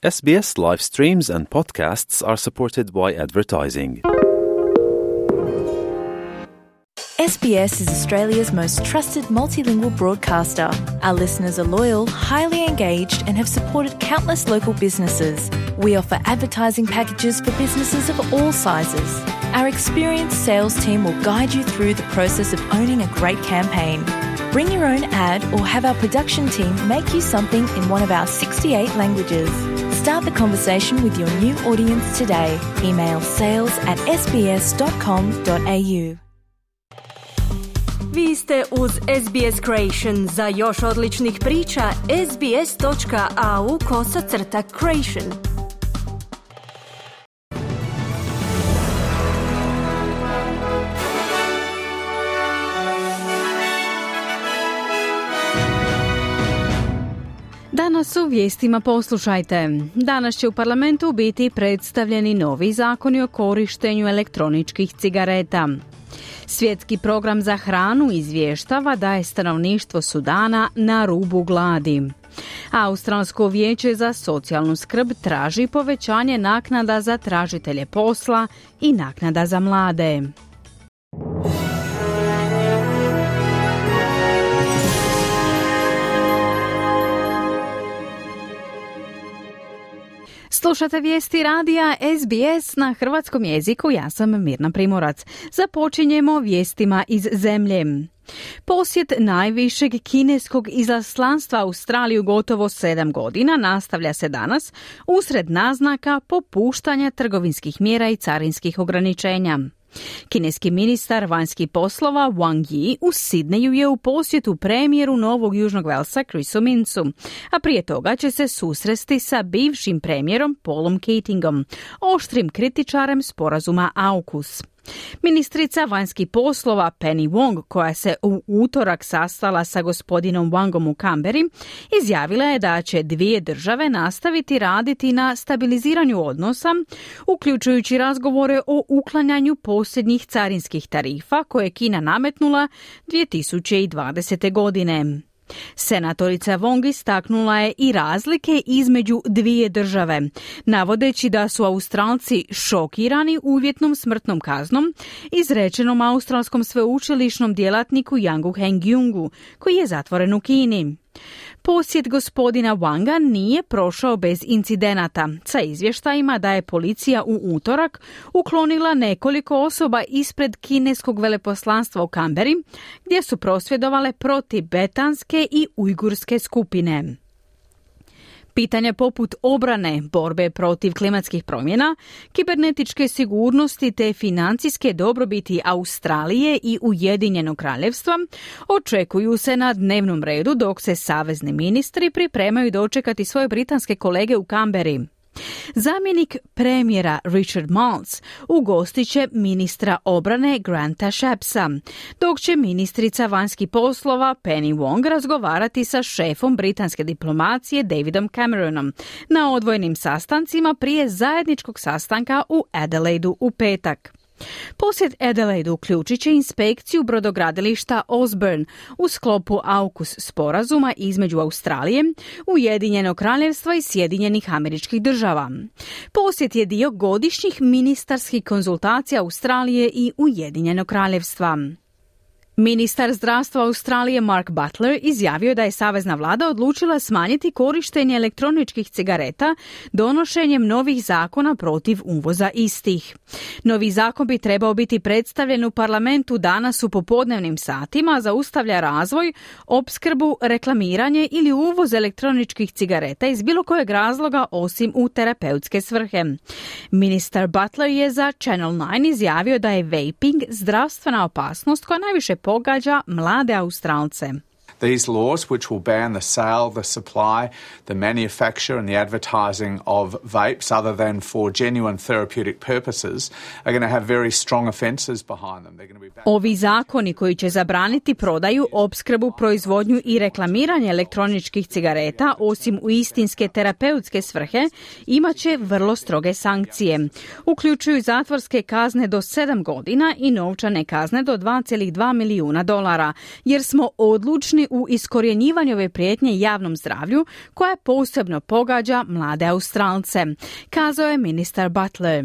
SBS live streams and podcasts are supported by advertising. SBS is Australia's most trusted multilingual broadcaster. Our listeners are loyal, highly engaged, and have supported countless local businesses. We offer advertising packages for businesses of all sizes. Our experienced sales team will guide you through the process of owning a great campaign. Bring your own ad or have our production team make you something in one of our 68 languages. Start the conversation with your new audience today. Email sales@sbs.com.au. Vi ste uz SBS Creation. Za još odličnih priča, sbs.au/creation. Danas u vijestima poslušajte. Danas će u parlamentu biti predstavljeni novi zakoni o korištenju elektroničkih cigareta. Svjetski program za hranu izvještava da je stanovništvo Sudana na rubu gladi. Australsko vijeće za socijalnu skrb traži povećanje naknada za tražitelje posla i naknada za mlade. Slušate vijesti radija SBS na hrvatskom jeziku, ja sam Mirna Primorac. Započinjemo vijestima iz zemlje. Posjet najvišeg kineskog izaslanstva Australiju gotovo 7 godina nastavlja se danas usred naznaka popuštanja trgovinskih mjera i carinskih ograničenja. Kineski ministar vanjskih poslova Wang Yi u Sidneju je u posjetu premijeru Novog Južnog Velsa Chrisu Mincu, a prije toga će se susresti sa bivšim premijerom Paulom Keatingom, oštrim kritičarem sporazuma AUKUS. Ministrica vanjskih poslova Penny Wong, koja se u utorak sastala sa gospodinom Wangom u Canberri, izjavila je da će dvije države nastaviti raditi na stabiliziranju odnosa, uključujući razgovore o uklanjanju posljednjih carinskih tarifa koje je Kina nametnula 2020. godine. Senatorica Wong istaknula je i razlike između dvije države, navodeći da su Australci šokirani uvjetnom smrtnom kaznom izrečenom australskom sveučilišnom djelatniku Yangu Hengyungu, koji je zatvoren u Kini. Posjet gospodina Wanga nije prošao bez incidenata, sa izvještajima da je policija u utorak uklonila nekoliko osoba ispred kineskog veleposlanstva u Canberri, gdje su prosvjedovale protibetanske i ujgurske skupine. Pitanja poput obrane, borbe protiv klimatskih promjena, kibernetičke sigurnosti te financijske dobrobiti Australije i Ujedinjenog kraljevstva očekuju se na dnevnom redu dok se savezni ministri pripremaju dočekati svoje britanske kolege u Canberri. Zamjenik premijera Richard Marles ugostit će ministra obrane Granta Shappsa, dok će ministrica vanjskih poslova Penny Wong razgovarati sa šefom britanske diplomacije Davidom Cameronom na odvojenim sastancima prije zajedničkog sastanka u Adelaidu u petak. Posjet Adelaidu uključit će inspekciju brodogradilišta Osborne u sklopu AUKUS sporazuma između Australije, Ujedinjenog kraljevstva i Sjedinjenih Američkih Država. Posjet je dio godišnjih ministarskih konzultacija Australije i Ujedinjenog kraljevstva. Ministar zdravstva Australije Mark Butler izjavio da je savezna vlada odlučila smanjiti korištenje elektroničkih cigareta donošenjem novih zakona protiv uvoza istih. Novi zakon bi trebao biti predstavljen u parlamentu danas u popodnevnim satima, zaustavlja razvoj, opskrbu, reklamiranje ili uvoz elektroničkih cigareta iz bilo kojeg razloga osim u terapeutske svrhe. Ministar Butler je za Channel 9 izjavio da je vaping zdravstvena opasnost koja najviše pogađa mlade Australce. These laws, which will ban the sale, the supply, the manufacture and the advertising of vapes other than for genuine therapeutic purposes, are going to have very strong offences behind them. Ovi zakoni koji će zabraniti prodaju, opskrbu, proizvodnju i reklamiranje elektroničkih cigareta, osim u istinske terapeutske svrhe, imat će vrlo stroge sankcije. Uključuju zatvorske kazne do 7 godina i novčane kazne do $2,2 milijuna, jer smo odlučni u iskorjenjivanju ove prijetnje javnom zdravlju koja posebno pogađa mlade Australce, kazao je ministar Butler.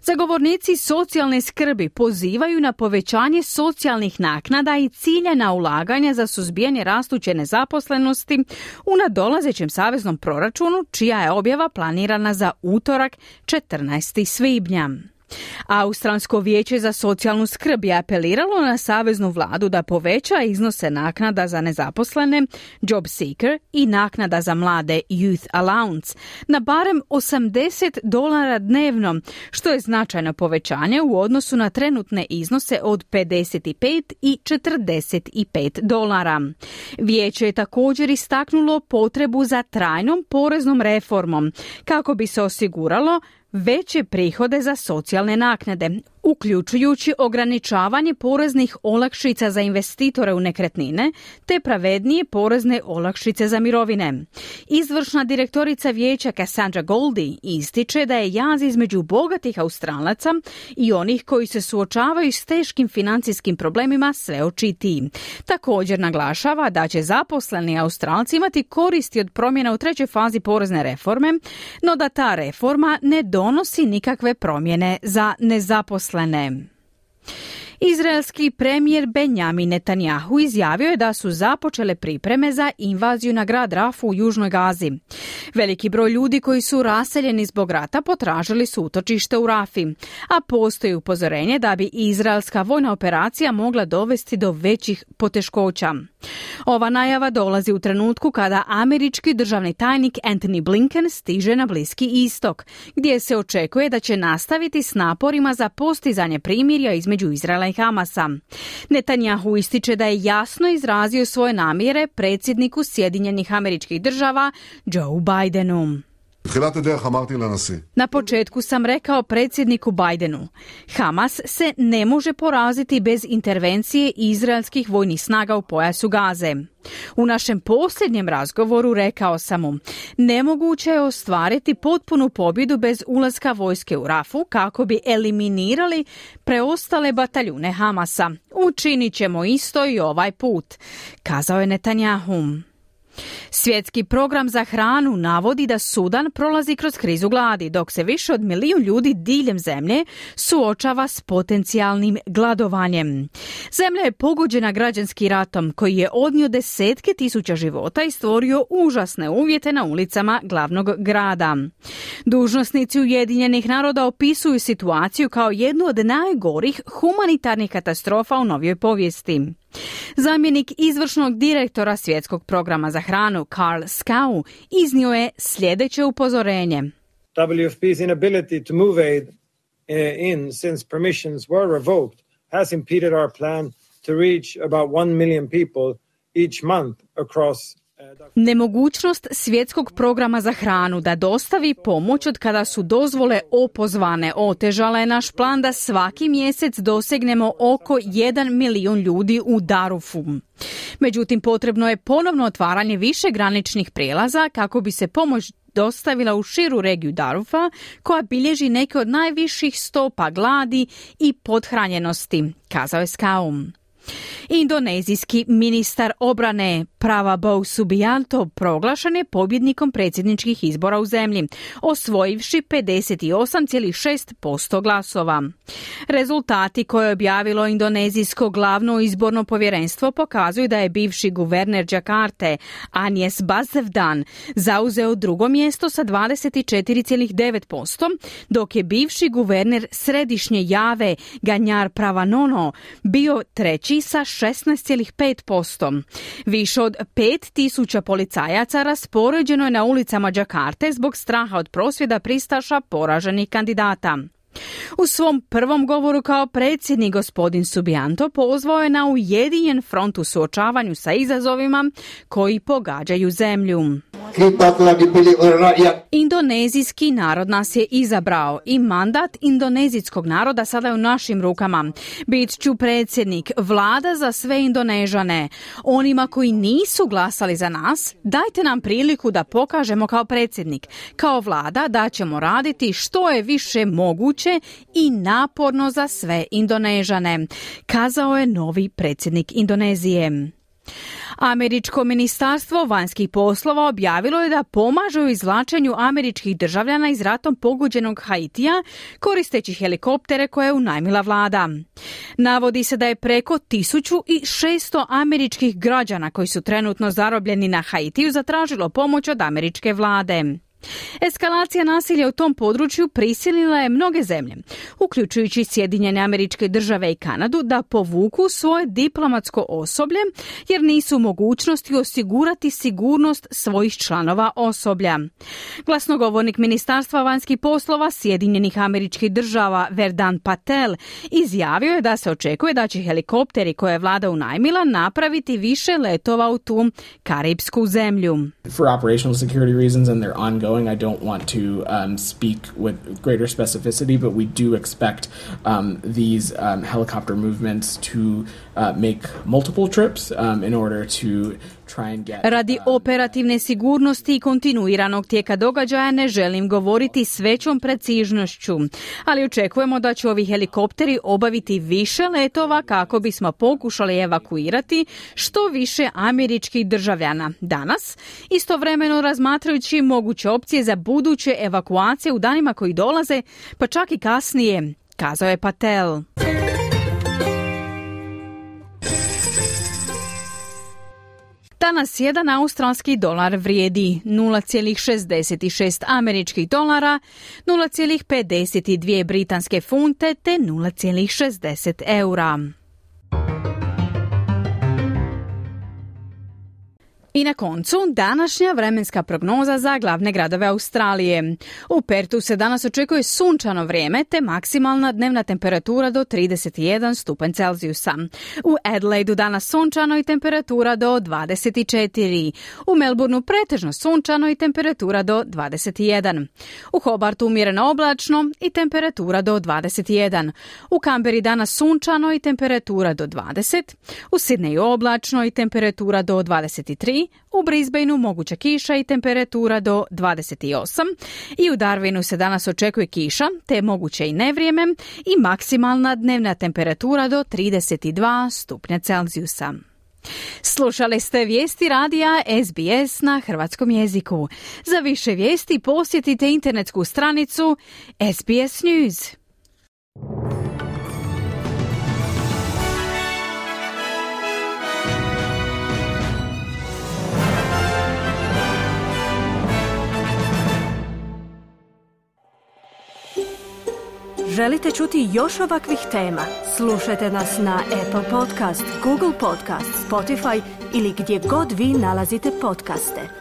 Zagovornici socijalne skrbi pozivaju na povećanje socijalnih naknada i ciljana ulaganja za suzbijanje rastuće nezaposlenosti u nadolazećem saveznom proračunu, čija je objava planirana za utorak 14. svibnja. Australsko vijeće za socijalnu skrb je apeliralo na saveznu vladu da poveća iznose naknada za nezaposlene, job seeker i naknada za mlade youth allowance na barem $80 dnevno, što je značajno povećanje u odnosu na trenutne iznose od $55 i $45. Vijeće je također istaknulo potrebu za trajnom poreznom reformom kako bi se osiguralo veće prihode za socijalne naknade, uključujući ograničavanje poreznih olakšica za investitore u nekretnine te pravednije porezne olakšice za mirovine. Izvršna direktorica vijeća Cassandra Goldie ističe da je jaz između bogatih Australaca i onih koji se suočavaju s teškim financijskim problemima sve očitiji. Također naglašava da će zaposleni Australci imati koristi od promjena u trećoj fazi porezne reforme, no da ta reforma ne donosi nikakve promjene za nezaposlene. Izraelski premijer Benjamin Netanjahu izjavio je da su započele pripreme za invaziju na grad Rafu u južnoj Gazi. Veliki broj ljudi koji su raseljeni zbog rata potražili su utočište u Rafi, a postoji upozorenje da bi izraelska vojna operacija mogla dovesti do većih poteškoća. Ova najava dolazi u trenutku kada američki državni tajnik Antony Blinken stiže na Bliski istok, gdje se očekuje da će nastaviti s naporima za postizanje primirja između Izraela i Hamasa. Netanjahu ističe da je jasno izrazio svoje namjere predsjedniku Sjedinjenih Američkih Država Joe Bidenu. Na početku sam rekao predsjedniku Bidenu, Hamas se ne može poraziti bez intervencije izraelskih vojnih snaga u pojasu Gaze. U našem posljednjem razgovoru rekao sam mu, nemoguće je ostvariti potpunu pobjedu bez ulaska vojske u Rafu kako bi eliminirali preostale bataljune Hamasa. Učinit ćemo isto i ovaj put, kazao je Netanjahu. Svjetski program za hranu navodi da Sudan prolazi kroz krizu gladi, dok se više od 1 milijun ljudi diljem zemlje suočava s potencijalnim gladovanjem. Zemlja je pogođena građanskim ratom koji je odnio desetke tisuća života i stvorio užasne uvjete na ulicama glavnog grada. Dužnosnici Ujedinjenih naroda opisuju situaciju kao jednu od najgorih humanitarnih katastrofa u novijoj povijesti. Zamjenik izvršnog direktora Svjetskog programa za hranu Karl Skau iznio je sljedeće upozorenje. WFP's inability to move aid in since permissions were revoked has impeded our plan to reach about 1 million people each month across. Nemogućnost Svjetskog programa za hranu da dostavi pomoć od kada su dozvole opozvane otežala je naš plan da svaki mjesec dosegnemo oko 1 milijun ljudi u Darufu. Međutim, potrebno je ponovno otvaranje više graničnih prijelaza kako bi se pomoć dostavila u širu regiju Darufa, koja bilježi neke od najviših stopa gladi i pothranjenosti, kazao je Skaum. Indonezijski ministar obrane Prabowo Subianto proglašen je pobjednikom predsjedničkih izbora u zemlji, osvojivši 58,6% glasova. Rezultati koje je objavilo indonezijsko glavno izborno povjerenstvo pokazuju da je bivši guverner Džakarte Anies Baswedan zauzeo drugo mjesto sa 24,9%, dok je bivši guverner Središnje Jave Ganjar Pranowo bio treći sa 16,5%. Više od 5.000 policajaca raspoređeno je na ulicama Džakarte zbog straha od prosvjeda pristaša poraženih kandidata. U svom prvom govoru kao predsjednik gospodin Subianto pozvao je na ujedinjen front u suočavanju sa izazovima koji pogađaju zemlju. Indonezijski narod nas je izabrao i mandat indonezijskog naroda sada je u našim rukama. Bit ću predsjednik, vlada za sve Indonežane. Onima koji nisu glasali za nas, dajte nam priliku da pokažemo kao predsjednik, kao vlada da ćemo raditi što je više moguće i naporno za sve Indonežane, kazao je novi predsjednik Indonezije. Američko ministarstvo vanjskih poslova objavilo je da pomaže u izvlačenju američkih državljana iz ratom pogođenog Haitija koristeći helikoptere koje je unajmila vlada. Navodi se da je preko 1600 američkih građana koji su trenutno zarobljeni na Haitiju zatražilo pomoć od američke vlade. Eskalacija nasilja u tom području prisilila je mnoge zemlje, uključujući Sjedinjene Američke Države i Kanadu, da povuku svoje diplomatsko osoblje jer nisu u mogućnosti osigurati sigurnost svojih članova osoblja. Glasnogovornik Ministarstva vanjskih poslova Sjedinjenih Američkih Država Vedant Patel izjavio je da se očekuje da će helikopteri koje je vlada unajmila napraviti više letova u tu karipsku zemlju. For operational security reasons and their ongoing, I don't want to speak with greater specificity, but we do expect these helicopter movements to make multiple trips in order to try and get... Radi operativne sigurnosti i kontinuiranog tijeka događaja ne želim govoriti s većom precižnošću, ali očekujemo da će ovi helikopteri obaviti više letova kako bismo pokušali evakuirati što više američkih državljana danas, istovremeno razmatrajući moguće opcije za buduće evakuacije u danima koji dolaze, pa čak i kasnije, kazao je Patel. Danas jedan australski dolar vrijedi 0,66 američkih dolara, 0,52 britanske funte te 0,60 eura. I na koncu, današnja vremenska prognoza za glavne gradove Australije. U Pertu se danas očekuje sunčano vrijeme te maksimalna dnevna temperatura do 31 stupanj Celzijusa. U Adelaidu danas sunčano i temperatura do 24. U Melbourneu pretežno sunčano i temperatura do 21. U Hobartu umjereno oblačno i temperatura do 21. U Canberri danas sunčano i temperatura do 20. U Sydneyu oblačno i temperatura do 23. U Brisbaneu moguća kiša i temperatura do 28 i u Darwinu se danas očekuje kiša, te moguće i nevrijeme i maksimalna dnevna temperatura do 32 stupnja Celzijusa. Slušali ste vijesti radija SBS na hrvatskom jeziku. Za više vijesti posjetite internetsku stranicu SBS News. Želite čuti još ovakvih tema? Slušajte nas na Apple Podcast, Google Podcast, Spotify ili gdje god vi nalazite podcaste.